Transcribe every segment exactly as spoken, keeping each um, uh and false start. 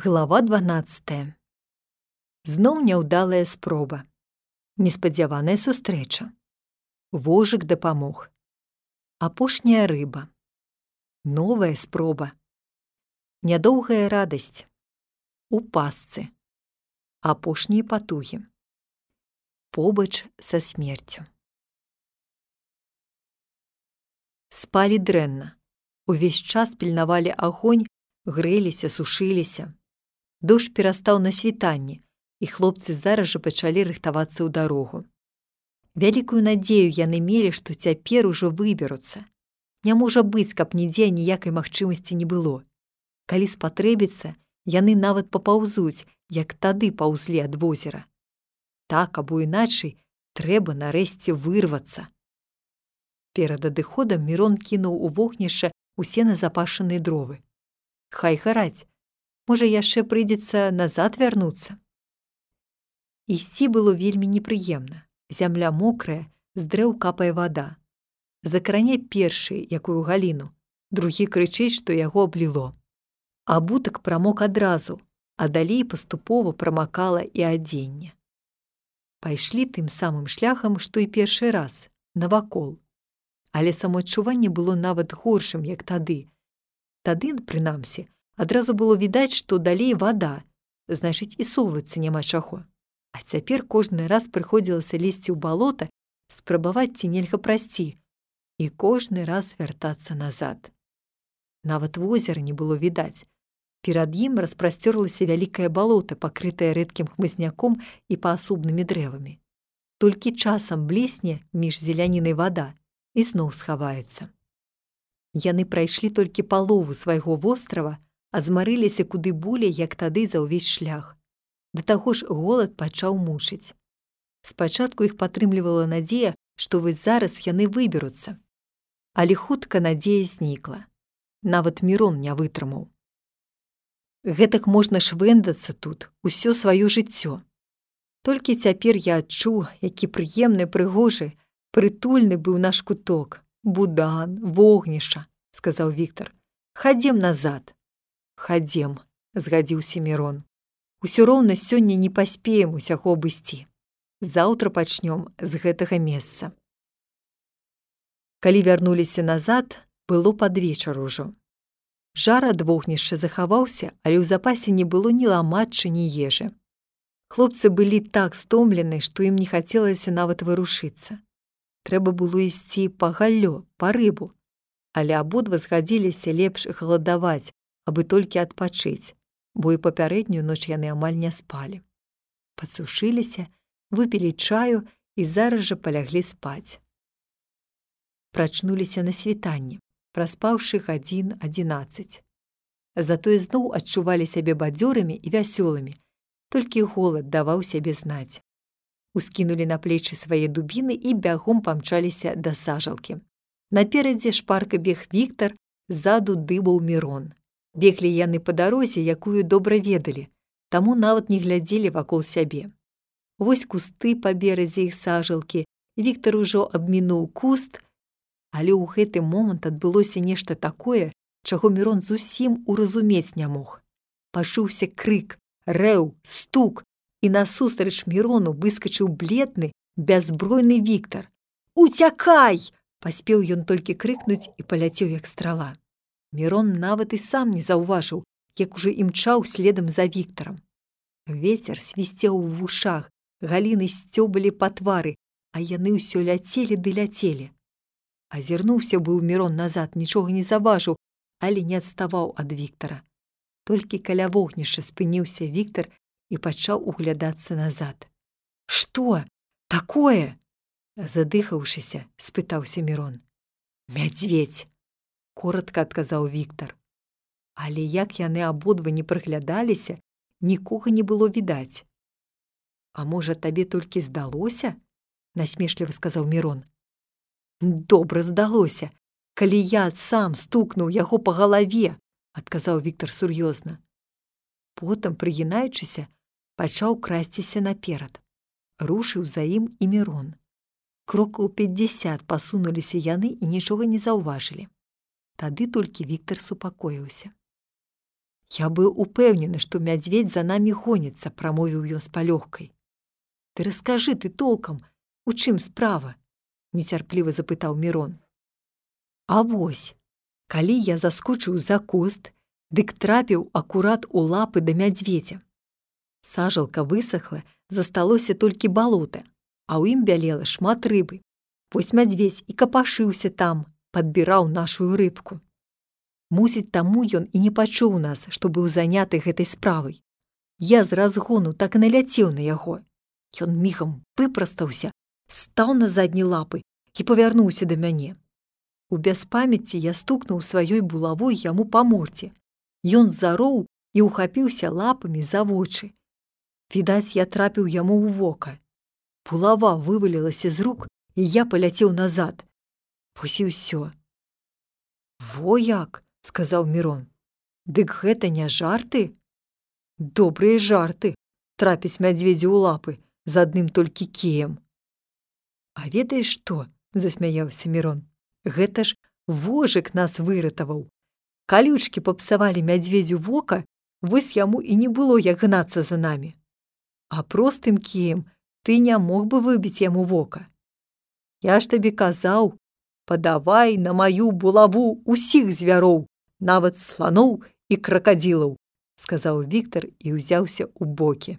Глава дванаццатая. Зноў няўдалая спроба. Неспадзяваная сустрэча. Вожык дапамог. Апошняя рыба. Новая спроба. Нядоўгая радасць. У пастцы. Апошнія патугі. Побач са смерцю. Спалі дрэнна. Увесь час пільнавалі агонь, грэліся, сушыліся. Дождж перастаў на світанні, і хлопцы зараз жа пачалі рыхтавацца ў дарогу. Вялікую надзею яны мелі, што цяпер ужо выберуцца. Не можа быць, каб нідзе ніякай магчымасці не было. Калі спатрэбіцца, яны нават папаўзуць, як тады паўзлі ад возера. Так, або іначай, трэба нарэшце вырвацца. Перад адыходам Мірон кінуў у вогнішча усе назапашаныя дровы. Хай гараць. Можа, яшчэ прыйдзецца назад вярнуцца. Ісці было вельмі непрыемна. Зямля мокрая, з дрэў капае вада. Закране першы, якую галіну, другі крычыць, што яго абліло. Абутак прамок адразу, а далей паступова прамакала і адзенне. Пайшлі тым самым шляхам, што і першы раз, навакол. Але самаадчуванне было нават горшым, як тады. Тады, прынамсі, адразу было відаць, што далей вада, значыць, і совацца няма чаго. А цяпер кожны раз прыходзілася лезці ў балота, спрабаваць ці нельга прайсці, і кожны раз вяртацца назад. Нават возера не было відаць. Перад ім распрасцёрлася вялікае балота, пакрытае рэдкім хмызняком і паасобнымі дрэвамі. Толькі часам блесне між зелянінай вада і зноў схаваецца. Яны прайшлі толькі палову свайго вострава, а змарыліся куды болей, як тады за ўвесь шлях. Да таго ж голад пачаў мучыць. Спачатку іх падтрымлівала надзея, што вось зараз яны выберуцца. Але хутка надзея знікла. Нават Мірон не вытрымаў. Гэтак можна швэндацца тут усё сваё жыццё. Толькі цяпер я адчуў, які прыемны, прыгожы, прытульны быў наш куток. Будан, вогнішча, сказаў Віктар. Хадзем назад. Хадзем, згадзіўся Мірон. Усё роўна сёння не паспеем усяго абысці. Заўтра пачнём з гэтага месца. Калі вярнуліся назад, было пад вечар ужо. Жар ад вогнішча захаваўся, але ў запасе не было ні ламачча, ні ежы. Хлопцы былі так стомлены, што ім не хацелася нават варушыцца. Трэба было ісці па галлё, па рыбу. Але абодва згадзіліся лепш галадаваць, абы толькі адпачыць, бо і папярэднюю ноч яны амаль не спалі. Падсушыліся, выпілі чаю і зараз жа паляглі спаць. Прачнуліся на світанні, праспаўшы гадзін адзінаццаць. Затое зноў адчувалі сябе бадзёрымі і вясёлымі, толькі голад даваў сябе знаць. Ускінулі на плечы свае дубіны і бягом памчаліся да сажалкі. Наперадзе шпарка бег Віктар, ззаду дыбаў Мірон. Беглі яны па дарозе, якую добра ведалі, таму нават не глядзелі вакол сябе. Вось кусты па беразе іх сажалкі, Віктар ужо абмінуў куст, але ў гэты момант адбылося нешта такое, чаго Мірон зусім уразумець не мог. Пачуўся крык, рэў, стук, і насустрач Мірону выскачыў бледны, бяззбройны Віктар. «Уцякай!» Паспеў ён толькі крыкнуць і паляцеў, як страла. Мірон нават і сам не заўважыў, як ужо імчаў следам за Віктарам. Вецер свісцеў у вушах, галіны сцёбалі па твары, а яны ўсё ляцелі ды ляцелі. Азірнуўся быў Мірон назад, нічога не заважыў, але не адставаў ад Віктара. Толькі каля вогнішча спыніўся Віктар і пачаў углядацца назад. «Што такое?» Задыхаўшыся, спытаўся Мірон. «Мядзведзь!» Коротка адказаў Віктар. Але як яны абодва не прыглядаліся, нікога не было відаць. «А можа, табе толькі здалося?» насмешліва сказаў Мірон. «Добра здалося, калі я сам стукнуў яго па галаве», адказаў Віктар сур'ёзна. Потым, прыгінаючыся, пачаў красціся наперад. Рушыў за ім і Мірон. Крокаў пяцьдзясят пасунуліся яны і нічога не заўважылі. Тады толькі Віктар супакоіўся. Я быў упэўнены, што мядзведзь за намі гоніцца, прамовіў ён з палёгкай. Ты раскажы ты толкам, у чым справа? Нецярпліва запытаў Мірон. А вось, калі я заскочыў за куст, дык трапіў акурат у лапы да мядзведзя. Сажалка высохла, засталося толькі балота, а ў ім бялела шмат рыбы. Вось мядзведзь і капашыўся там, падбіраў нашую рыбку. Мусіць, таму ён і не пачуў нас, што быў заняты гэтай справай. Я з разгону так і наляцеў на яго. Ён мігам выпрастаўся, стаў на задні лапы і павярнуўся да мяне. У бяспамяці я стукнуў сваёй булавой яму па мордзе. Ён зароў і ўхапіўся лапамі за вочы. Відаць, я трапіў яму ў вока. Булава вывалілася з рук, і я паляцеў назад. Вось і ўсё. Во як, сказаў Мірон. Дык гэта не жарты? Добрыя жарты, трапіць мядзведзю ў лапы з адным толькі кіем. А ведаеш што? Засмяяўся Мірон. Гэта ж вожык нас выратаваў. Калючкі папсавалі мядзведзю вока, вось яму і не было як гнацца за намі. А простым кіем ты не мог бы выбіць яму вока. Я ж табе казаў, падавай на маю булаву усіх звяроў, нават сланоў і кракадзілаў, сказаў Віктар і ўзяўся ў бокі.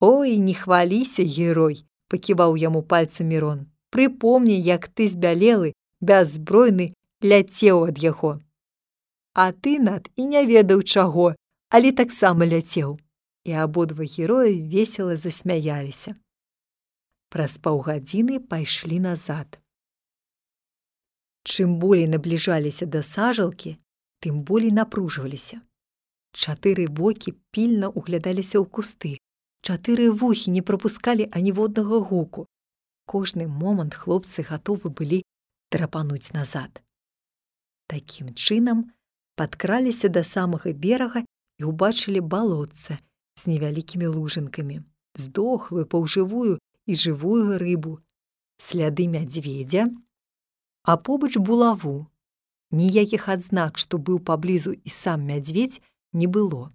Ой, не хваліся, герой, паківаў яму пальцам Мірон. Прыпомні, як ты збялелы, бяззбройны, ляцеў ад яго. А ты, Над, і не ведаў чаго, але таксама ляцеў. І абодва героі весела засмяяліся. Праз паўгадзіны пайшлі назад. Чым болей набліжаліся да сажалкі, тым болей напружваліся. Чатыры вокі пільна углядаліся ў кусты, чатыры вухі не прапускалі аніводнага гуку. Кожны момант хлопцы гатовы былі драпануць назад. Такім чынам падкраліся да самага берага і ўбачылі балотца з невялікімі лужынкамі, здохлую, паўжывую і жывую рыбу, сляды мядзведзя, а побач булаву. Ніякіх адзнак, што быў паблізу і сам мядзведзь, не было.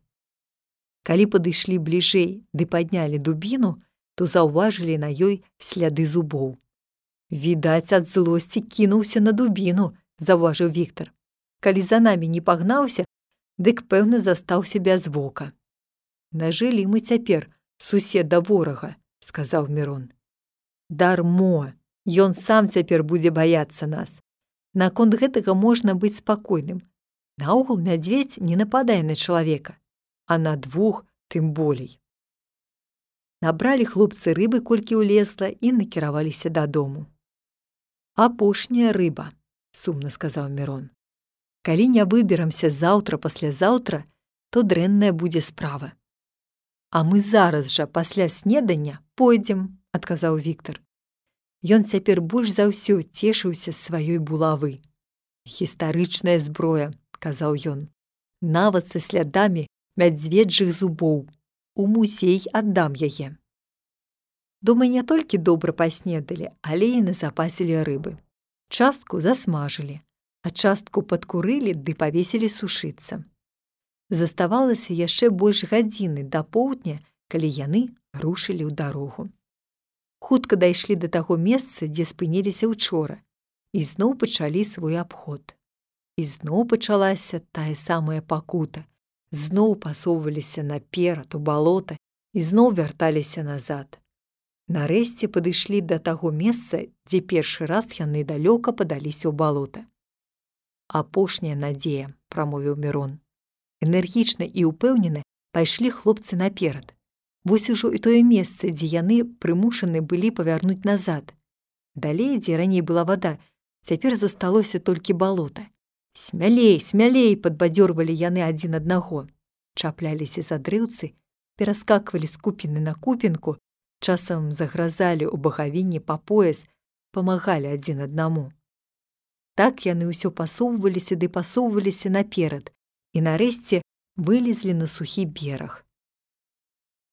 Калі падышлі бліжэй ды паднялі дубіну, то заўважылі на ёй сляды зубоў. Відаць, ад злосці кінуўся на дубіну, заўважыў Віктар. Калі за намі не пагнаўся, дык, пэўна, застаўся без вока. Нажылі мы цяпер суседа ворага, сказаў Мірон. Дармо, ён сам цяпер будзе баяцца нас. Наконт гэтага можна быць спакойным. Наогул мядзведзь не нападае на чалавека, а на двух тым болей. Набралі хлопцы рыбы, колькі ўлезла, і накіраваліся дадому. Апошняя рыба, сумна сказаў Мірон. Калі не выберамся заўтра-паслязаўтра, то дрэнная будзе справа. А мы зараз жа пасля снедання пойдзем, адказаў Віктар. Ён цяпер больш за ўсё цешыўся з сваёй булавы. Гістарычная зброя, казаў ён, нават са слядамі мядзведжых зубоў. У музей аддам яе. Дома не толькі добра паснедалі, але і назапасілі рыбы. Частку засмажылі, а частку падкурылі ды павесілі сушыцца. Заставалася яшчэ больш гадзіны да поўдня, калі яны рушылі ў дарогу. Хутка дайшлі да таго месца, дзе спыніліся ўчора, і зноў пачалі свой абход. І зноў пачалася тая самая пакута. Зноў пасоўваліся наперад у балота і зноў вярталіся назад. Нарэшце падышлі да таго месца, дзе першы раз яны далёка падаліся ў балота. Апошняя надзея, прамовіў Мірон. Энергічна і ўпэўнена пайшлі хлопцы наперад. Вось ужо і тое месца, дзе яны прымушаны былі павярнуць назад. Далей, дзе раней была вада, цяпер засталося толькі балота. Смялей, смялей, падбадзёрвалі яны адзін аднаго. Чапляліся за дрэўцы, пераскаквалі з купіны на купінку, часам загразалі ў багавінні па пояс, памагалі адзін аднаму. Так яны ўсё пасоўваліся ды пасоўваліся наперад і нарэшце вылезлі на сухі бераг.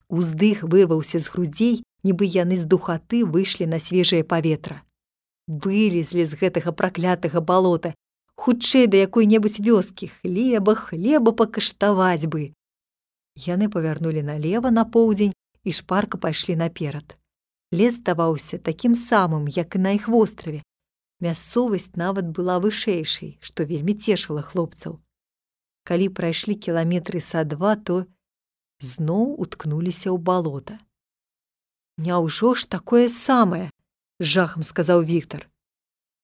Уздых вырваўся з грудзей, нібы яны з духаты выйшлі на свежае паветра. Вылезлі з гэтага праклятага балота, Хутчэй да якой-небудзь вёскі, хлеба, хлеба пакаштаваць бы. Яны павярнулі налева на поўдзень і шпарка пайшлі наперад. Лес здаваўся такім самым, як і на іх востраве. Мясцовасць нават была вышэйшай, што вельмі цешыла хлопцаў. Калі прайшлі кіламетры са два, то зноў уткнуліся ў балота. «Няўжо ж такое самае?» — з жахам сказаў Віктар.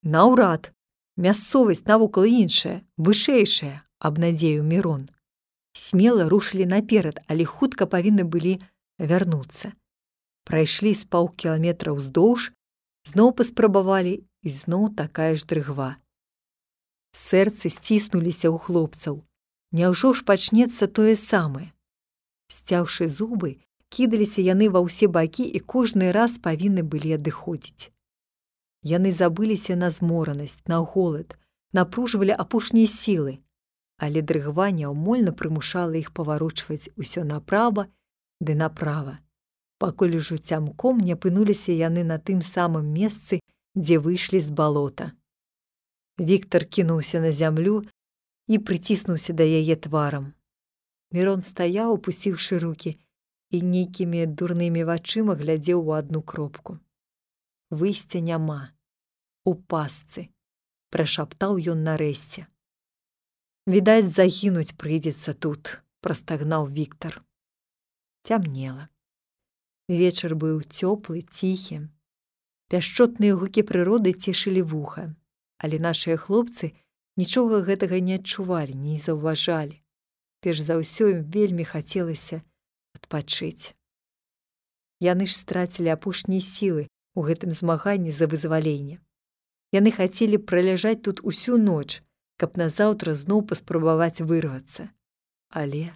«Наўрад. Мясцовасць навокал іншая, вышэйшая», — абнадзеіў Мірон. Смела рушылі наперад, але хутка павінны былі вярнуцца. Прайшлі з паўкіламетра ўздоўж, зноў паспрабавалі, і зноў такая ж дрыгва. Сэрцы сціснуліся ў хлопцаў. Няўжо ж пачнецца тое самае? Сцяўшы зубы, кідаліся яны ва ўсе бакі і кожны раз павінны былі адыходзіць. Яны забыліся на зморанасць, на голад, напружвалі апошнія сілы, але дрыгва няўмольна прымушала іх паварочваць усё направа ды направа, пакуль ужо цямком не апынуліся яны на тым самым месцы, дзе выйшлі з балота. Віктар кінуўся на зямлю і прыціснуўся да яе тварам. Мірон стаяў, опусціўшы рукі, і нейкімі дурнымі вачыма глядзеў у адну кропку. «Выйсця няма. У пастцы», — прашаптаў ён нарэшце. «Відаць, загінуць прыйдзецца тут», — прастагнаў Віктар. Цямнела. Вечар быў цёплы, ціхі. Пяшчотныя гукі прыроды цешылі вуха, але нашыя хлопцы нічога гэтага не адчувалі, не заўважалі. Перш за ўсё ім вельмі хацелася адпачыць. Яны ж страцілі апошнія сілы ў гэтым змаганні за вызваленне. Яны хацелі праляжаць тут усю ноч, каб назаўтра зноў паспрабаваць вырвацца. Але...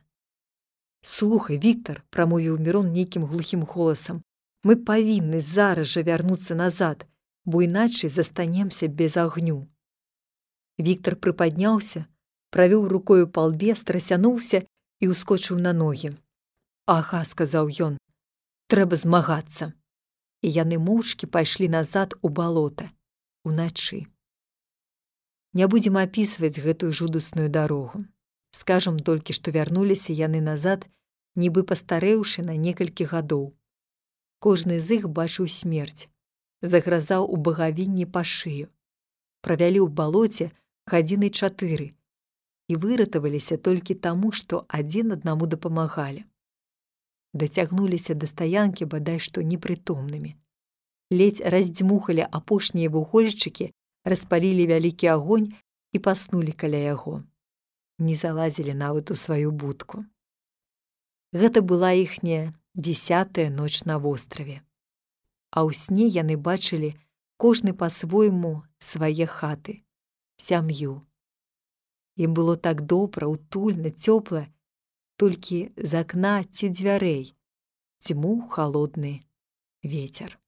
«Слухай, Віктар», — прамовіў Мірон нейкім глухім голасам, «мы павінны зараз жа вярнуцца назад, бо іначай застанемся без агню». Віктар прыпадняўся, правёў рукою па лбе, страсянуўся і ўскочыў на ногі. «Ага», — сказаў ён, «трэба змагацца». І яны моўчкі пайшлі назад у балота, уначы. Не будзем апісваць гэтую жудасную дарогу. Скажам толькі, што вярнуліся яны назад, нібы пастарэўшы на некалькі гадоў. Кожны з іх бачыў смерць, загразаў у багавінні па шыю. Правялі ў балоце гадзіны чатыры і выратаваліся толькі таму, што адзін аднаму дапамагалі. Дацягнуліся да стаянкі бадай што непрытомнымі. Ледзь раздзьмухалі апошнія вугольчыкі, распалілі вялікі агонь і паснулі каля яго. Не залазілі нават у сваю будку. Гэта была іхняя дзесятая ноч на востраве. А ў сне яны бачылі кожны па-свойму свае хаты, сям'ю. Ім было так добра, утульна, цёпла, толькі з акна ці дзвярэй дзьмуў халодны вецер.